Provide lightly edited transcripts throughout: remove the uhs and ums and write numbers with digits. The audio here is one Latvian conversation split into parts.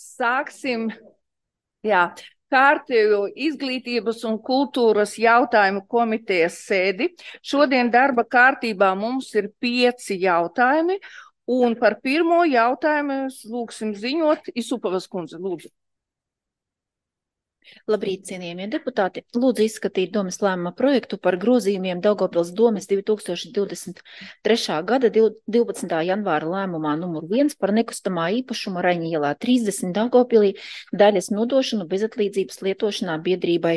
Sāksim, kārtējo izglītības un kultūras jautājumu komitejas sēdi. Šodien darba kārtībā mums ir 5 jautājumi, un par pirmo jautājumu lūksim ziņot Isupavas kundze, lūdzu. Labrīt, cienījamie deputāti. Lūdzu izskatīt domes lēmuma projektu par grozījumiem Daugavpils domes 2023. gada 12. janvāra lēmumā numur 1 par nekustamā īpašuma Raņa ielā 30 Daugavpilī daļas nodošanu bezatlīdzības lietošanā biedrībai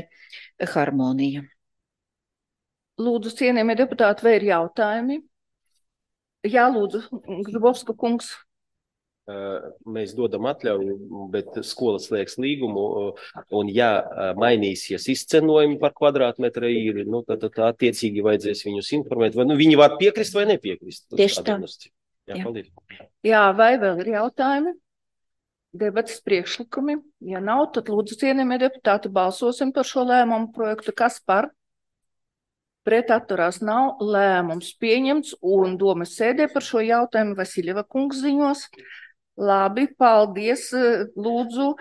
Harmonija. Lūdzu, cienījamie deputāti, vai ir jautājumi? Jā, lūdzu, Grubovska kungs. Mēs dodam atļauju, bet skola slēgs līgumu, un ja mainīsies izcenojumi par kvadrātmetra īri, tad attiecīgi vajadzēs viņus informēt, vai viņi var piekrist vai nepiekrist. Tieši tā. Jā, paldies. Jā, vai vēl ir jautājumi? Debates priekšlikumi? Ja nav, tad lūdzu, cienījamie deputāti, balsosim par šo lēmumu projektu. Kas par? Pret atturās nav, lēmums pieņemts, un domas sēdē par šo jautājumu Vasiļeva kungs ziņos. Labi, paldies. Lūdzu,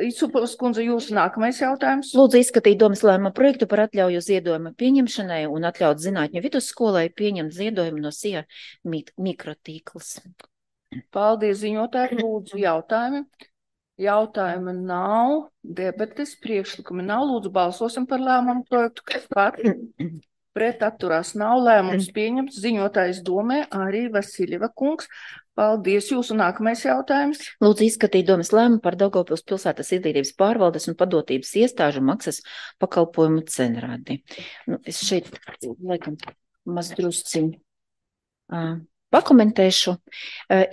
Isupavas kundze, jūsu nākamais jautājums. Lūdzu izskatīt domas lēmuma projektu par atļauju ziedojuma pieņemšanai un atļaut zinātņu vidusskolai pieņemt ziedojumu no SIA mikrotīkls. Paldies, ziņotāji. Lūdzu, jautājumi. Jautājumi nav, debates priekšlikumi nav. Lūdzu, balsosim par lēmumu projektu. Kas par? Pret atturās nav, lēmums pieņemts. Ziņotājs domē arī Vasiļeva kungs. Paldies, jūsu nākamais jautājums. Lūdzu izskatīt domas lēmumu par Daugavpils pilsētas izglītības pārvaldes un padotības iestāžu maksas pakalpojumu cenrādi. Es šeit, laikam, mazdrusciņ pakomentēšu.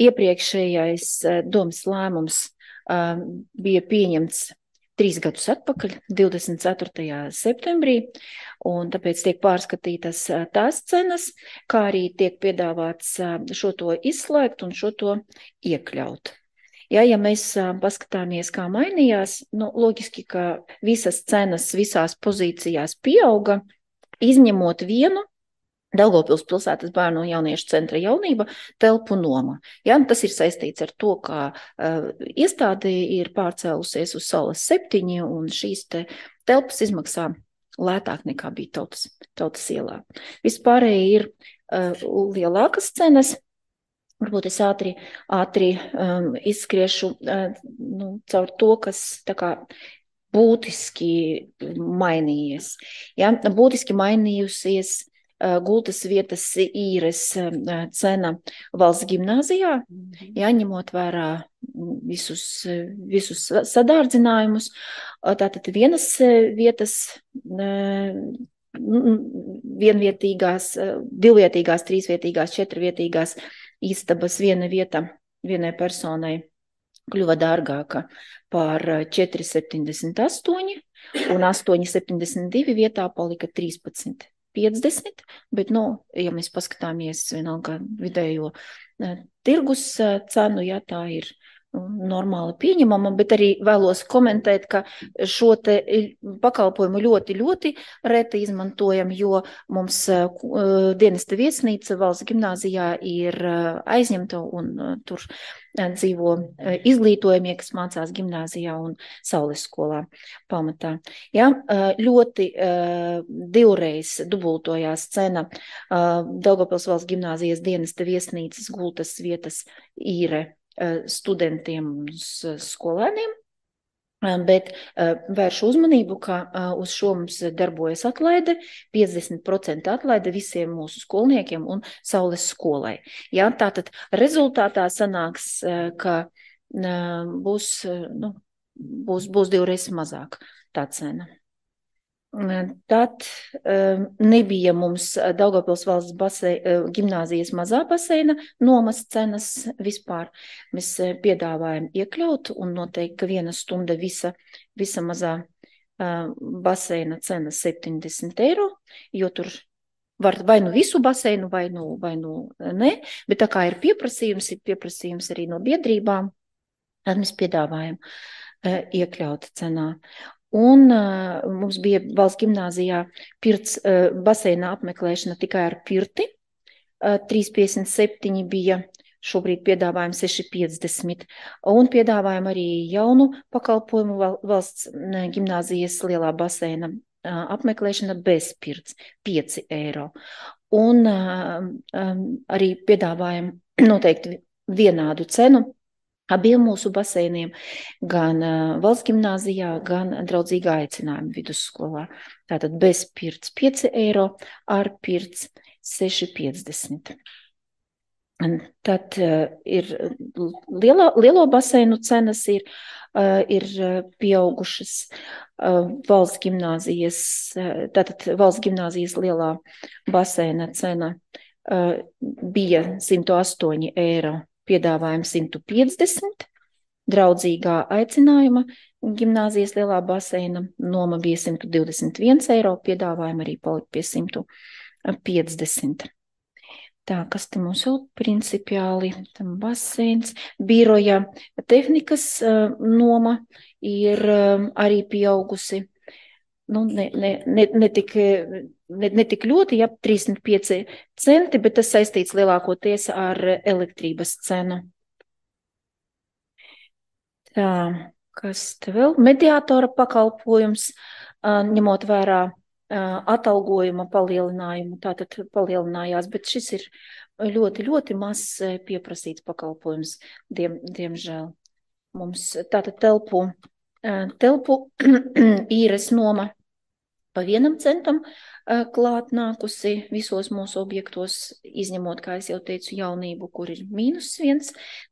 Iepriekšējais domas lēmums bija pieņemts 3 gadus atpakaļ, 24. septembrī, un tāpēc tiek pārskatītas tās cenas, kā arī tiek piedāvāts šo to izslēgt un šo to iekļaut. Ja mēs paskatāmies, kā mainījās, loģiski, ka visas cenas visās pozīcijās pieauga, izņemot vienu, Daugavpils pilsētas bērnu un jauniešu centra jaunība telpu noma. Ja, tas ir saistīts ar to, kā iestāde ir pārcēlusies uz Saules 7, un šīs telpas izmaksā lētāk nekā bija tautas ielā. Vispārēji ir lielākas cenas. Varbūt es ātri izskriešu caur to, kas tā kā būtiski mainījies. Ja, būtiski mainījusies gultas vietas īres cena valsts gimnāzijā, ņemot vērā visus sadārdzinājumus. Tātad vienas vietas, vienvietīgās, divvietīgās, trīsvietīgās, četrvietīgās istabas viena vieta vienai personai kļuva dārgāka par 4,78 un 8,72 vietā palika 13,50, bet, ja mēs paskatāmies vienalga vidējo tirgus cenu, tā ir normāli pieņemama, bet arī vēlos komentēt, ka šo te pakalpojumu ļoti reti izmantojam, jo mums dienesta viesnīca valsts gimnāzijā ir aizņemta un tur dzīvo izglītojamie, kas mācās gimnāzijā un Saules skolā pamatā. Ja, ļoti divreiz dubultojās cena Daugavpils valsts gimnāzijas dienesta viesnīcas gultas vietas īre studentiem un skolēniem, bet vēršu uzmanību, ka uz šo mums darbojas atlaide, 50% atlaide visiem mūsu skolniekiem un Saules skolai. Ja, tātad rezultātā sanāks, ka būs divreiz mazāk tā cena. Tad nebija mums Daugavpils valsts gimnāzijas mazā baseina nomas cenas vispār. Mēs piedāvājam iekļaut un noteikti, ka 1 stunda visa mazā baseina cena 70 €, jo tur var vai nu visu baseinu, vai nu ne, bet tā kā ir pieprasījums arī no biedrībām, tad mēs piedāvājam iekļaut cenā. Un mums bija valsts gimnāzijā baseina apmeklēšana tikai ar pirti, 3,57 bija šobrīd piedāvājam 6,50 un piedāvājam arī jaunu pakalpojumu valsts gimnāzijas lielā baseina apmeklēšana bez pirts 5 eiro. Un arī piedāvājam noteikti vienādu cenu abiem mūsu baseiniem, gan valsts gimnāzijā, gan draudzīgā aicinājuma vidusskolā. Tātad bez pirts 5 eiro, ar pirts 6,50. Tad ir lielo baseinu cenas ir pieaugušas valsts gimnāzijas, tātad valsts gimnāzijas lielā baseina cena bija 108 eiro, piedāvājam 150, draudzīgā aicinājuma gimnāzijas lielā baseina noma bija 121 eiro, piedāvājam arī palikt pie 150. Tā, kas te mums vēl principiāli, tam baseins, biroja tehnikas noma ir arī pieaugusi, nu, ne tik ļoti, ja 35 centi, bet tas saistīts lielākoties ar elektrības cenu. Tā, kas te vēl? Mediātora pakalpojums, ņemot vērā atalgojuma palielinājumu, tātad palielinājās, bet šis ir ļoti, ļoti mazs pieprasīts pakalpojums, diemžēl. Mums tātad telpu īres noma pa 1 centam klāt nākusi visos mūsu objektos, izņemot, kā es jau teicu, jaunību, kur ir -1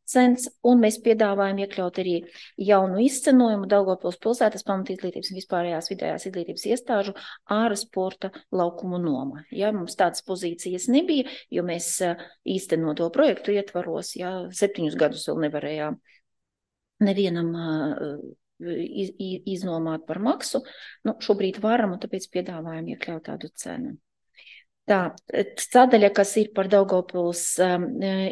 cents, un mēs piedāvājam iekļaut arī jaunu izcenojumu Daugavpils pilsētas pamatizglītības un vispārējās vidējās izglītības iestāžu āra sporta laukumu noma. Ja, mums tādas pozīcijas nebija, jo mēs īstenoto projektu ietvaros, 7 gadus vēl nevarējām nevienam iznomāt par maksu. Nu, šobrīd varam, un tāpēc piedāvājam iekļaut tādu cenu. Tā, sadaļa, kas ir par Daugavpils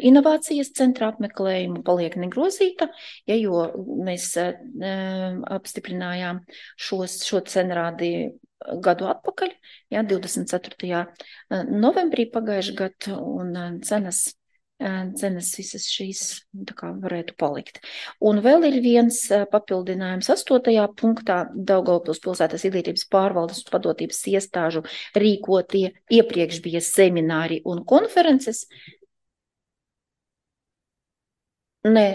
inovācijas centra apmeklējumu, paliek negrozīta, jo mēs apstiprinājām šo cenrādi gadu atpakaļ, 24. novembrī pagājušajā gadu, un cenas visas šīs tā kā varētu palikt. Un vēl ir viens papildinājums 8. punktā Daugavpils pilsētas izglītības pārvaldes un padotības iestāžu rīkotie iepriekš bija semināri un konferences. Nē.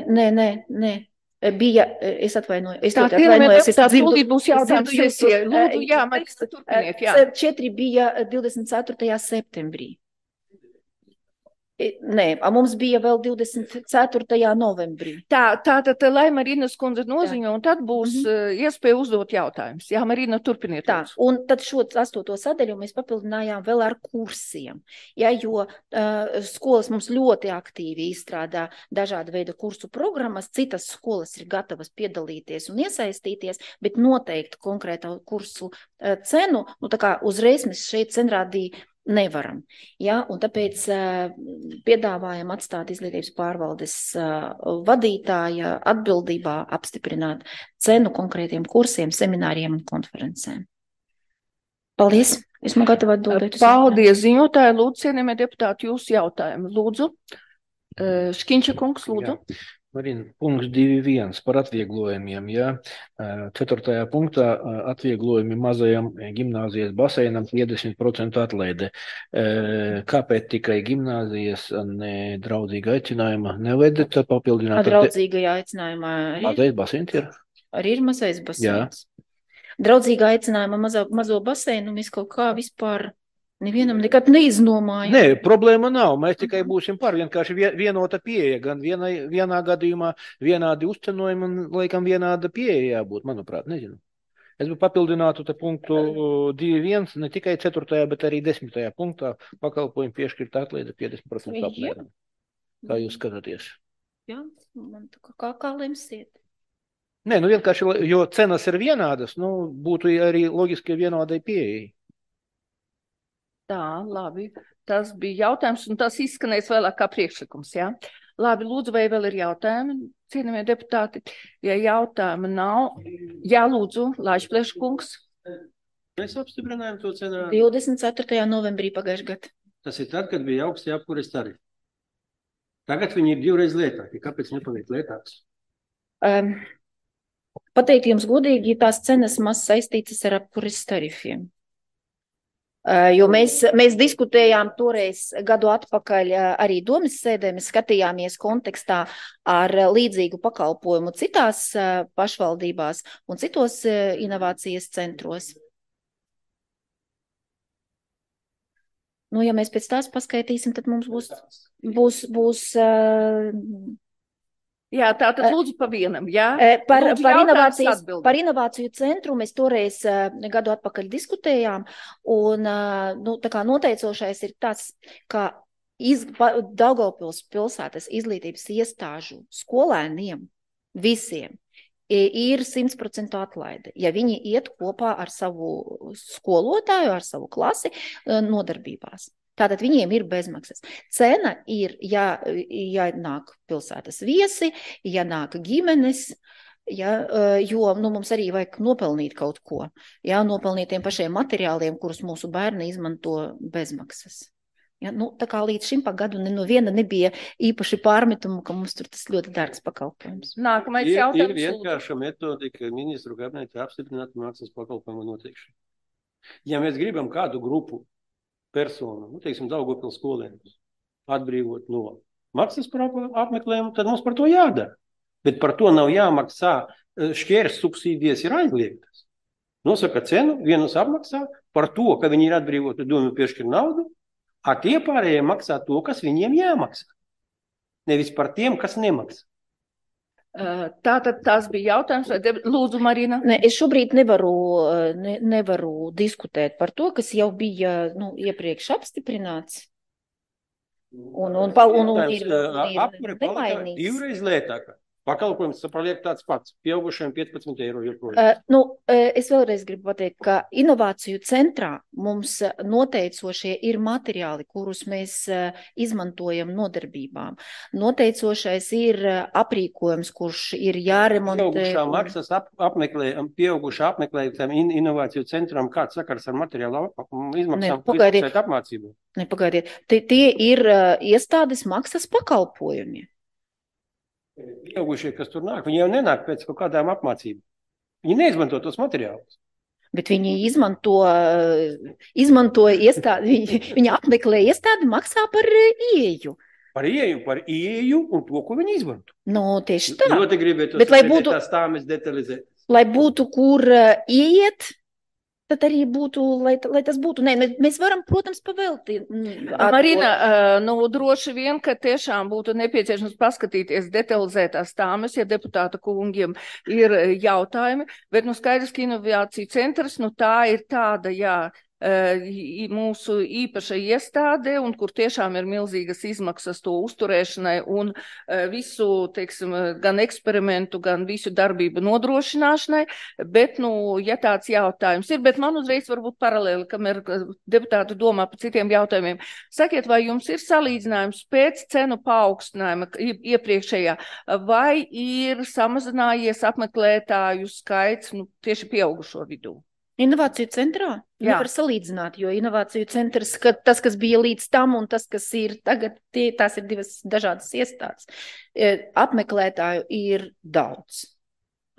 Bija, es atvainoju. Tā tūlīt būs jautājums sesija. Lūdzu, Marista, turpiniet, 4 bija 24. septembrī. Nē, mums bija vēl 24. novembrī. Tātad, lai Marinas kundze noziņo, un tad būs iespēja uzdot jautājumus. Jā, Marina, turpiniet. Tā, un tad šo 8. sadaļu mēs papildinājām vēl ar kursiem, jo skolas mums ļoti aktīvi izstrādā dažāda veida kursu programmas, citas skolas ir gatavas piedalīties un iesaistīties, bet noteikti konkrēta kursu cenu, tā kā uzreiz mēs šeit cenrādī nevaram. Un tāpēc piedāvājam atstāt izglītības pārvaldes vadītāja atbildībā apstiprināt cenu konkrētiem kursiem, semināriem un konferencēm. Paldies! Esmu gatava atbildēt. Paldies, ziņotāji. Lūdzu, cienījamie deputāti, jūsu jautājumu. Lūdzu. Škiņša kungs, lūdzu. Marina, punkts 2.1 par atvieglojumiem. 4. punktā atvieglojumi mazajam gimnāzijas baseinam 50% atlaide. Kāpēc tikai gimnāzijas ne draudzīga aicinājuma nevajadzētu papildināt? Draudzīgajā aicinājumā mazais baseins ir? Arī ir mazais baseins. Draudzīgā aicinājuma mazo baseinu mēs kaut kā vispār nevienam nekad neiznomājam. Nē, problēma nav. Mēs tikai būsim par vienkārši vienota pieeja. Gan vienā gadījumā vienādi uzcenojumi un, laikam, vienāda pieeja jābūt, manuprāt, nezinu. Es papildinātu te punktu 2.1, ne tikai 4., bet arī 10. punktā pakalpojumu piešķirt atlaide 50% apmēram. Kā jūs skatāties? Jā, man kā lemsiet. Nē, vienkārši, jo cenas ir vienādas, būtu arī loģiski vienādai pieejai. Tā, labi. Tas bija jautājums, un tas izskanēs vēlāk kā priekšlikums, Labi, lūdzu, vai vēl ir jautājumi, cienījamie deputāti? Ja jautājumi nav, lūdzu, Laišplēša kungs. Mēs apstiprinājām to cenu. 24. novembrī pagājušajā gadā. Tas ir tad, kad bija augstie apkures tarifi. Tagad viņi ir divreiz lētāki. Kāpēc nepaliek lētāks? Pateikt jums godīgi, tās cenas maz saistītas ar apkures tarifiem. Jo mēs diskutējām toreiz gadu atpakaļ arī domas sēdē, mēs skatījāmies kontekstā ar līdzīgu pakalpojumu citās pašvaldībās un citos inovācijas centros. Nu, ja mēs pēc tās paskaitīsim, tad mums būs Jā, tātad lūdzu pa vienam, jā? Par inovāciju centru mēs toreiz gadu atpakaļ diskutējām, un tā kā noteicošais ir tas, ka Daugavpils pilsētas izglītības iestāžu skolēniem visiem ir 100% atlaide, ja viņi iet kopā ar savu skolotāju, ar savu klasi nodarbībās. Tātad viņiem ir bezmaksas. Cena ir, ja nāk pilsētas viesi, ja nāk ģimenes, jo mums arī vajag nopelnīt kaut ko, nopelnīt tiem pašiem materiāliem, kurus mūsu bērni izmanto bezmaksas. Tā kā līdz šim pa gadu neviena nebija īpaši pārmetumu, ka mums tur tas ļoti dārgs pakalpojums. Nākamais jautājums. Ir vienkārša metodika ministru kabinetā apstiprināt maksas pakalpojumu noteikšanu. Ja mēs gribam kādu grupu personu, teiksim, Daugavpils skolēnus, atbrīvot no maksas par apmeklējumu, tad mums par to jādara. Bet par to nav jāmaksā, šķērs subsīdijas ir aizliegtas. Nosaka cenu, vienus apmaksā par to, ka viņi ir atbrīvoti, domu piešķir naudu, a tie pārējie maksā to, kas viņiem jāmaksā. Nevis par tiem, kas nemaksā. Tātad tās bija jautājums, lūdzu, Marina. Es šobrīd nevaru diskutēt par to, kas jau bija iepriekš apstiprināts. Un ir nemainīts. Divreiz lētākā. Pakalpojums paliek tāds pats, pieaugušiem 15 eiro joprojām. Es vēlreiz gribu pateikt, ka inovāciju centrā mums noteicošie ir materiāli, kurus mēs izmantojam nodarbībām. Noteicošais ir aprīkojums, kurš ir jāremontē. Pieaugušā maksas pieaugušā apmeklējumam inovāciju centram, kāds sakars ar materiālu izmaksām apmācību? Pagaidiet. Tie ir iestādes maksas pakalpojumi. Pieaugušie, kas tur nāk, viņi jau nenāk pēc kaut kādām apmācībām. Viņi neizmanto tos materiālus. Bet viņi izmanto iestādi, viņi apmeklē iestādi, maksā par ieeju. Par ieeju un to, ko viņi izmanto. Tieši tā. Ļoti gribētu tās tāmes detalizēt. Lai būtu, kur ieiet, tad arī būtu, lai tas būtu. Mēs varam, protams, pavēlti. Marina, droši vien, ka tiešām būtu nepieciešams paskatīties detalizētās tāmes, ja deputāta kungiem ir jautājumi, bet skaidrs, ka inovāciju centrs, tā ir tāda, mūsu īpaša iestāde, un kur tiešām ir milzīgas izmaksas to uzturēšanai un visu, teiksim, gan eksperimentu, gan visu darbību nodrošināšanai, bet, ja tāds jautājums ir, bet man uzreiz varbūt paralēli, kamēr deputāti domā par citiem jautājumiem. Sakiet, vai jums ir salīdzinājums pēc cenu paaugstinājuma iepriekšējā, vai ir samazinājies apmeklētāju skaits, tieši pieaugušo vidū? Inovāciju centrā? Nevar salīdzināt, jo inovāciju centrs, tas, kas bija līdz tam un tas, kas ir tagad, tās ir divas dažādas iestādes. Apmeklētāju ir daudz.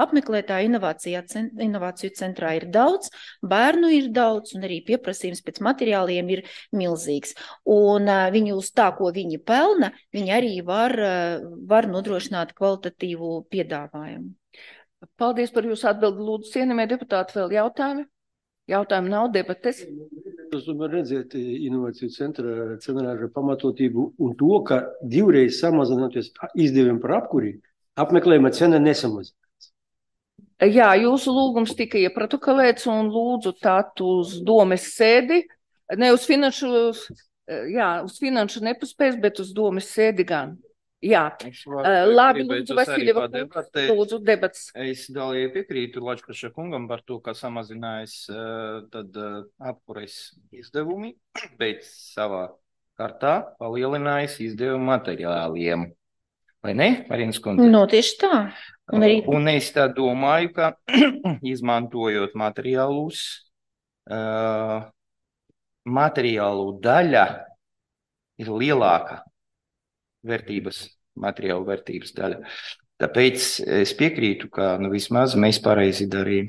Apmeklētāju inovāciju centrā ir daudz, bērnu ir daudz un arī pieprasījums pēc materiāliem ir milzīgs. Un viņi uz tā, ko viņi pelna, viņi arī var nodrošināt kvalitatīvu piedāvājumu. Paldies par jūsu atbildi. Lūdzu, cienījamie deputāti, vēl jautājumi? Jautājumi nav, debates. Es domāju redzēt inovāciju centra cenārāža pamatotību un to, ka divreiz samazinoties izdevumi par apkuri, apmeklējuma cena nesamazināts. Jā, jūsu lūgums tika ieprotokolēts un lūdzu tāt uz domes sēdi, ne uz finanšu nepaspēs, bet uz domes sēdi gan. Jā, labi, lūdzu, Vasiljeva, lūdzu, debats. Es galīgi piekrītu Lačplaša kungam par to, ka samazinājis tad apkures izdevumi, bet savā kārtā palielinājis izdevumu materiāliem. Vai ne, Marinas kundze? Tieši tā. Un es tā domāju, ka izmantojot materiālus, materiālu daļa ir lielāka vērtības, materiālu vērtības daļa. Tāpēc es piekrītu, ka vismaz mēs pareizi darījām.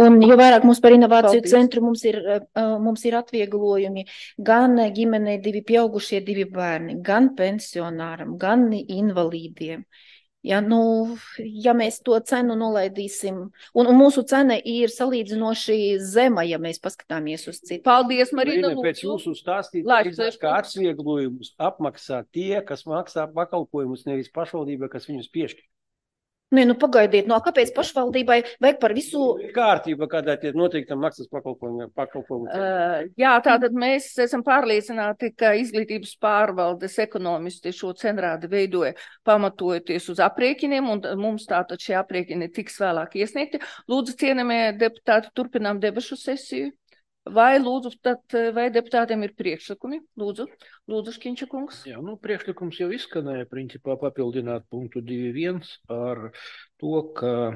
Un jo vairāk mums par inovāciju Paldies. centru mums ir atvieglojumi gan ģimenei 2 pieaugušie 2 bērni, gan pensionāram, gan invalīdiem. Ja, ja mēs to cenu nolaidīsim, un mūsu cena ir salīdzinoši zema, ja mēs paskatāmies uz citu. Paldies, Marina, Pēc lūdzu. jūsu stāstīt, kā atsvieglojumus apmaksā tie, kas maksā pakalpojumus, nevis pašvaldība, kas viņus piešķir. Nē, pagaidiet, kāpēc pašvaldībai vajag par visu? Kārtība, kādā tie noteiktam maksas pakalpojumu. Jā, tātad mēs esam pārliecināti, ka izglītības pārvaldes ekonomisti šo cenrādi veidoja pamatojoties uz aprēķiniem, un mums tātad šie aprēķini tiks vēlāk iesniegti. Lūdzu, cienījamie deputāti, turpinām debašu sesiju. Vai deputātiem ir priekšlikumi? Lūdzu, Škiņša kungs. Jā, priekšlikums jau izskanēja, principā papildināt punktu 2.1 ar to, ka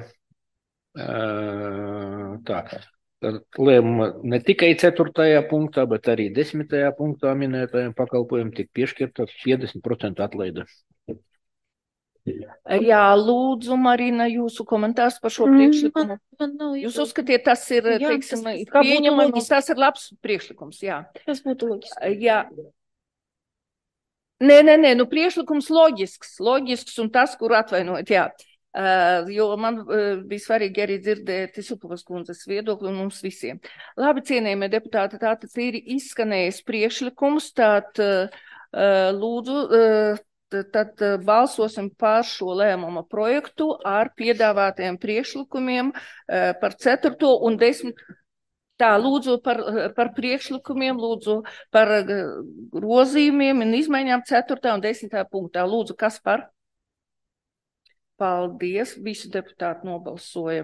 lēmuma ne tikai 4. punktā, bet arī 10. punktā minētajiem pakalpojumiem tik piešķirta 50% atlaide. Jā, lūdzu, Marina, jūsu komentārs par šo priekšlikumu. Jūs uzskatiet, tas ir, teiksim, pieņemams, tas ir labs priekšlikums, jā. Tas būtu loģiski. Jā. Nē, priekšlikums loģisks un tas, kur atvainojat, jā. Jo man bija svarīgi arī dzirdēt Supovas kundzes viedokli un mums visiem. Labi, cienījamie deputāti, tātad ir izskanējis priekšlikums, lūdzu, tad balsosim par šo lēmuma projektu ar piedāvātajiem priekšlikumiem par 4. un 10. Tā, lūdzu par priekšlikumiem, lūdzu par grozījumiem un izmaiņām 4. un 10. punktā. Lūdzu, kas par? Paldies, visi deputāti nobalsoja.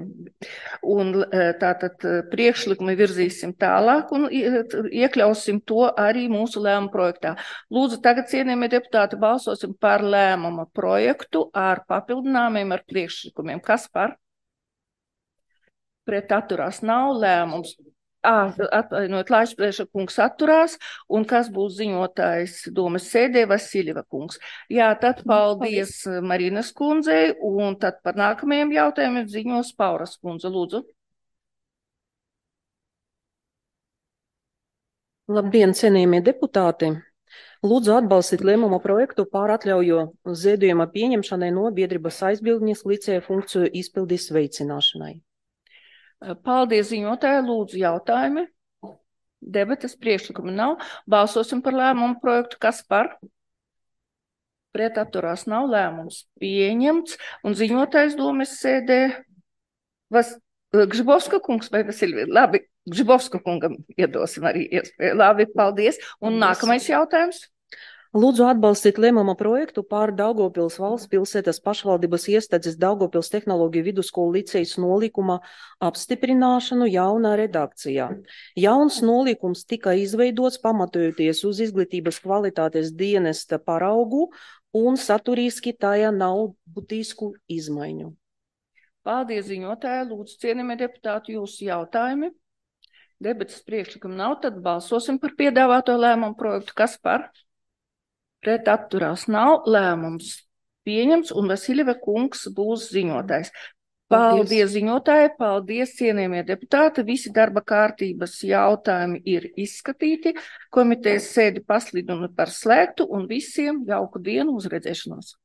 Un tātad priekšlikumi virzīsim tālāk un iekļausim to arī mūsu lēmuma projektā. Lūdzu, tagad, cienījamie deputāti, balsosim par lēmuma projektu ar papildinājumiem, ar priekšlikumiem. Kas par? Pret atturās nav lēmums. Atvainojiet, Laišprieša kungs atturās, un kas būs ziņotājs domas sēdē, Vasiljeva kungs. Jā, tad paldies Marinas kundzei, un tad par nākamajiem jautājumiem ziņos Pauras kundze, lūdzu. Labdien, cienījamie deputāti! Lūdzu atbalstīt lēmuma projektu pār atļaujo ziedojuma pieņemšanai no biedrības aizbildņas licēja funkciju izpildes veicināšanai. Paldies, ziņotāji, lūdzu jautājumi. Debates priekšlikumi nav. Balsosim par lēmumu projektu. Kas par? Pret atturās nav, lēmums pieņemts. Un ziņotājs domas sēdē Gžibovska kungs vai Vasiljeva? Labi, Gžibovska kungam iedosim arī iespēju. Labi, paldies. Un nākamais jautājums. Lūdzu atbalstīt lēmuma projektu pār Daugavpils valsts pilsētas pašvaldības iestādes Daugavpils tehnoloģiju vidusskolu licejas nolīkuma apstiprināšanu jaunā redakcijā. Jauns nolīkums tika izveidots pamatojoties uz izglītības kvalitātes dienesta paraugu un saturiski tajā nav būtisku izmaiņu. Paldies, ziņotāji. Lūdzu, cienījamie deputāti, jūsu jautājumi. Debates priekšlikumi nav, tad balsosim par piedāvāto lēmumu projektu. Kas par? Pret atturās nav, lēmums pieņemts, un Vasiljeva kungs būs ziņotājs. Paldies, ziņotāji, paldies, cienījamie deputāti. Visi darba kārtības jautājumi ir izskatīti. Komitejas sēdi pasludinu par slēgtu, un visiem jauku dienu, uz redzēšanos.